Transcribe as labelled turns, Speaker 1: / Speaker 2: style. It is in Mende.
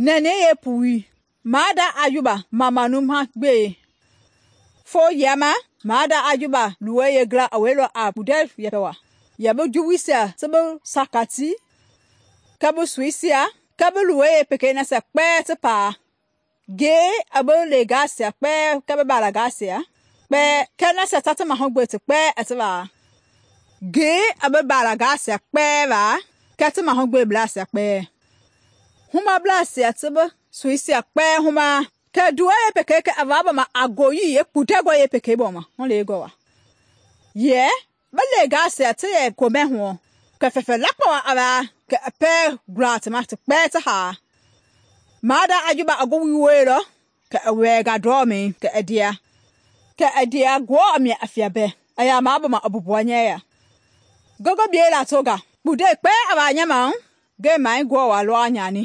Speaker 1: nɛnɛi yeepui maada Ayuba mamanu ma gbe. Fo yiama maada Ayuba luwɔi yeengila i wɛilɔ a kpundɛ yɛpɛ wa, yɛ bi juwuisia ti bi sakati kɛɛ bi soisia kɛɛ bi luwɔi yeepekei nasia kpɛɛ ti paa. Ngei i bi leengaisia kpɛɛ kɛɛ bi balagaasia kpɛɛ kɛɛ nasia ta ti mahugbe ti kpɛɛ i ti waa. Ngei i bi balagaasia kpɛɛ waa kɛɛ ti mahugbeblaasia kpɛɛ. Humableisia ti bi soisia kpɛɛ humaa. Kɛ nduwɔi yeepekei kɛ i va bama a ngoyii yeekpundɛngɔi yeepekei bɔma huleengɔ wa. Yɛ bi leengaisia ti yɛ komɛ huɔ kɛ fɛfɛ lakpa wa i waa kɛ i pɛɛ gula ti ma ti kpɛɛ ti haa. Maada Ayuba i ngi wooyeilɔ kɛ i wɛɛnga ndɔmɛi kɛ i ndea. Kɛ i ndea Ngewɔ i mia i fia bɛɛ i yaa mabama i mbumbuaɔ nyɛɛ ya. Ngi ngi biei latonga kpundɛi kpɛɛ i waa nya ma ngɛɛ mai Ngewɔ waa lɔ a nyani.